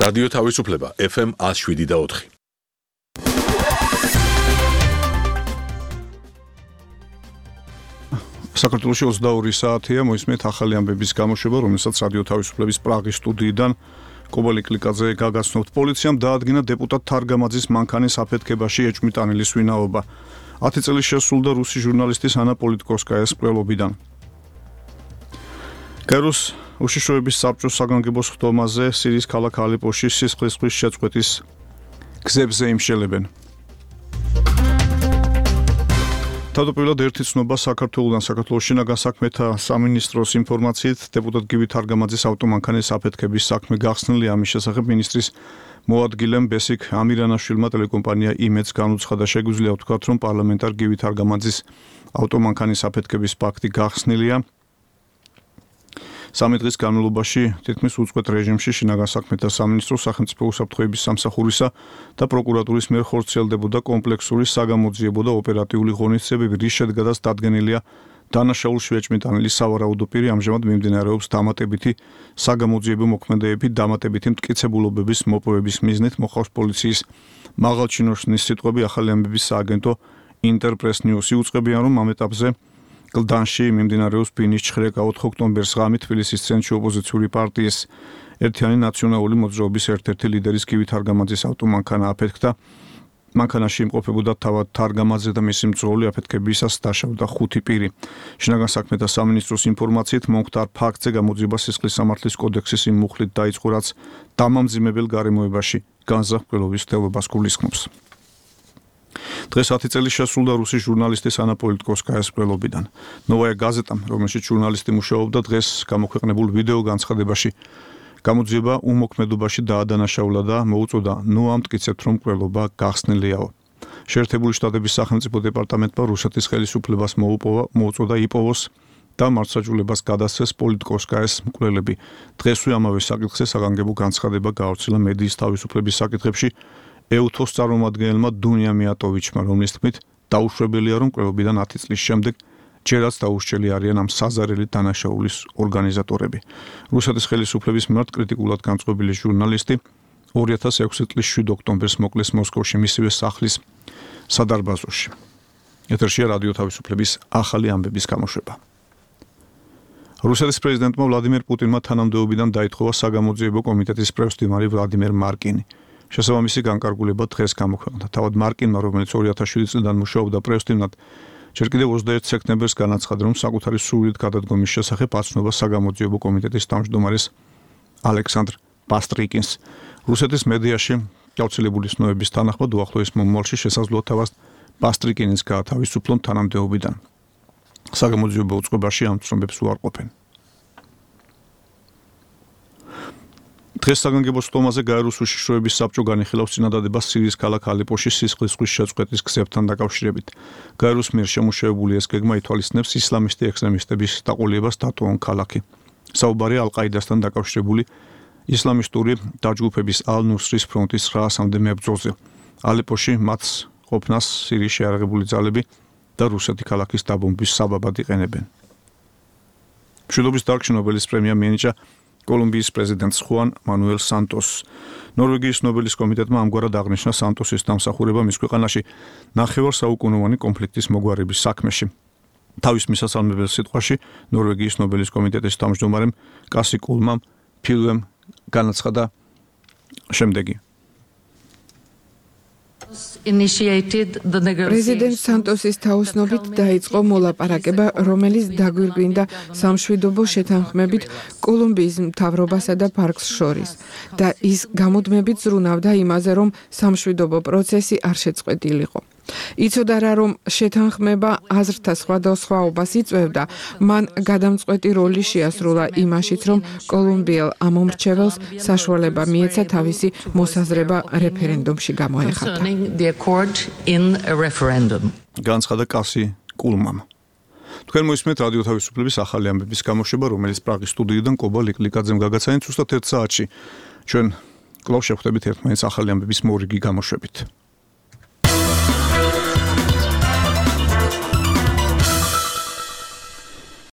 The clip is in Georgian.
რადიო თავისუფლება FM 107.4. საქართველოში 22 საათია მოისმენთ ახალი ამბების გამოშვება, რომელსაც რადიო თავისუფლების პრაღის სტუდიიდან კობალი კლიკაძე გაგაცნობთ. პოლიციამ დაადგინა დეპუტატ თარგამაძის მანქანის აფეთქებაში ეჭვმიტანილის ვინაობა. 10 წელი შესრულდა რუსი ჟურნალისტის ანა პოლიტკოვსკაიას მკვლელობიდან. გაეროს უშიშროების საბჭოს საგანგებო სხდომაზე სირიის ქალაქ ალეპოში სისხლისღვრის შეწყვეტის გზებზე იმშელებენ. თავდაპირველად ერთი ცნობა საქართველოსთან საქართველოს შინაგან საქმეთა სამინისტროს ინფორმაციით დეპუტატ გივი თარგამაძის ავტომანქანის აფეთქების საქმე გახსნილია. ამის შესახებ მინისტრის მოადგილემ ბესიკ ამირანაშვილმა ტელეკომპანია იმედს განუცხადა. შეგვიძლია ვთქვათ, რომ პარლამენტარ გივი თარგამაძის ავტომანქანის აფეთქების ფაქტი გახსნილია. 3 დღის განმავლობაში თითქმის უწყვეტ რეჟიმში შინაგან საქმეთა სამინისტროს სახელმწიფო უსაფრთხოების სამსახურისა და პროკურატურის მიერ ხორციელდებოდა კომპლექსური საგამოძიებო და ოპერატიული ღონისძიებები, რის შედეგადაც დადგენილია დანაშაულში ეჭვმიტანილი სავარაუდო პირი. ამჟამად მიმდინარეობს დამატებითი საგამოძიებო მოქმედებები, დამატებითი მტკიცებულობების მოპოვების მიზნით მოხავს პოლიციის მაღალჩინოსნის სიტყვები. ახალი ამბების სააგენტო ინტერპრეს ნიუსი უწყებიან, რომ ამ ეტაპზე გლდანში მიმდინარეობს ბინის ჩხრეკა. 4 ოქტომბერს ღამით თბილისის ცენტრში ოპოზიციური პარტიის ერთიანი ნაციონალური მოძრაობის ერთ-ერთი ლიდერის გივი თარგამაძის ავტომანქანა აფეთქდა. მანქანაში იმყოფებოდა თავად თარგამაძე და მისი მძღოლი. აფეთქებისას დაშავდა 5 პირი. შინაგან საქმეთა სამინისტროს ინფორმაციით მომხდარ ფაქტზე გამოძიება სისხლის სამართლის კოდექსის იმ მუხლით დაიწყო, რაც დამამძიმებელ გარემოებაში განზრახ-მკვლელობის მცდელობას გულისხმობს. დღეს 10 წელი შესრულდა რუსი ჟურნალისტის ანა პოლიტკოვსკაიას მკვლელობიდან. ნოვაია გაზეტამ, რომელშიც ჟურნალისტი მუშაობდა, დღეს გამოქვეყნებულ ვიდეო განცხადებაში გამოძიება უმოქმედობაში დაადანაშაულა და მოუწოდა ნუ ამტკიცებთ, რომ მკვლელობა გახსნილიაო. შეერთებული შტატების სახელმწიფო დეპარტამენტმა რუსეთის ხელისუფლებას მოუწოდა იპოვოს და მართლმსაჯულებას გადასცეს პოლიტკოვსკაიას მკვლელები. დღესვე ამავე საკითხზე საგანგებო განცხადება გაავრციელა მედიის თავისუფლების საკითხებში ეუთოს წარმომადგენელმა დუნია მიატოვიჩმა, რომლის თქმით დაუშვებელია, რომ მკვლელობიდან 10 წლის შემდეგ ჯერაც დაურჩელი არიან ამ საზარელი დანაშაულის ორგანიზატორები. რუსეთის ხელისუფლების მიმართ კრიტიკულად განწყობილი ჟურნალისტი 2006 წლის 7 ოქტომბერს მოკლეს მოსკოვში მისივე სახლის სადარბაზოში. ეთერშია რადიო თავისუფლების ახალი ამბების გამოშვება. რუსეთის პრეზიდენტმა ვლადიმერ პუტინმა თანამდებობიდან დაითხოვა საგამოძიებო კომიტეტის პრევსტიმარი ვლადიმერ მარკინი. შესაბამისი განკარგულება დღეს გამოქვეყნდა. თავად მარკინმა, რომელიც 2007 წლიდან მუშაობდა პრევსტიმნად, ჯერ კიდევ 21 სექტემბერს განაცხადა, რომ საკუთარი სურვილით გადადგომის შესახებ აცნობა საგამოძიებო კომიტეტის თავმჯდომარეს ალექსანდრ პასტრიკინს. რუსეთის მედიაში გავრცელებული ცნობების თანახმად უახლოეს მომავალში შესაძლოა თავად პასტრიკინის გაათავისუფლონ თანამდებობიდან. საგამოძიებო უწყებაში ამ ცნობებს უარყოფენ. დღეს საგანგებო სხდომაზე გაეროს უშიშროების საბჭო განიხილავს წინადადებას სირიის ქალაქ ალეპოში სისხლისღვრის შეწყვეტის გზებთან დაკავშირებით. გაეროს მიერ შემუშავებული ეს გეგმა ითვალისწინებს ისლამისტი ექსტრემისტების დაყოლებას დატოვონ ქალაქი. საუბარია ალ-ყაიდასთან დაკავშირებული ისლამისტური დაჯგუფების ალ-ნუსრის ფრონტის 900-მდე მებრძოლზე. ალეპოში მათ ყოფნას სირიის შეიარაღებული ძალები და რუსეთი ქალაქის დაბომბვის საბაბად იყენებენ. მშვიდობის დარგში ნობელის პრემია მიენიჭა კოლუმბიის პრეზიდენტს ხუან მანუელ სანტოსს. ნორვეგიის ნობელის კომიტეტმა ამგვარად აღნიშნა სანტოსის დამსახურება მის ქვეყანაში ნახევარსაუკუნოვანი კონფლიქტის მოგვარების საქმეში. თავის მისასალმებელ სიტყვაში ნორვეგიის ნობელის კომიტეტის თავმჯდომარემ კასი კულმამ ფილმ განაცხადა შემდეგი. პრეზიდენტ სანტოსის თაოსნობით დაიწყო მოლაპარაკება, რომელიც დაგვირგვინდა სამშვიდობო შეთანხმებით კოლუმბიის მთავრობასა და ფარკს შორის და ის გამუდმებით ზრუნავდა იმაზე, რომ სამშვიდობო პროცესი არ შეწყვეტილიყო. იცოდა რა, რომ შეთანხმება აზრთა სხვადასხვაობას იწვევდა, მან გადამწყვეტი როლი შეასრულა იმაშიც, რომ კოლუმბიელ ამომრჩეველს საშუალება მიეცა თავისი მოსაზრება რეფერენდუმში გამოეხატა. განცხადა კასი კულმამ. თქვენ მოისმენთ რადიო თავისუფლების ახალი ამბების გამოშვება, რომელიც პრაღის სტუდიიდან კობა ლიკლიკაძემ გაგაცანეთ ზუსტად 1 საათში. ჩვენ კვლავ შევხვდებით ერთმანეთს ახალი ამბების მორიგი გამოშვებით.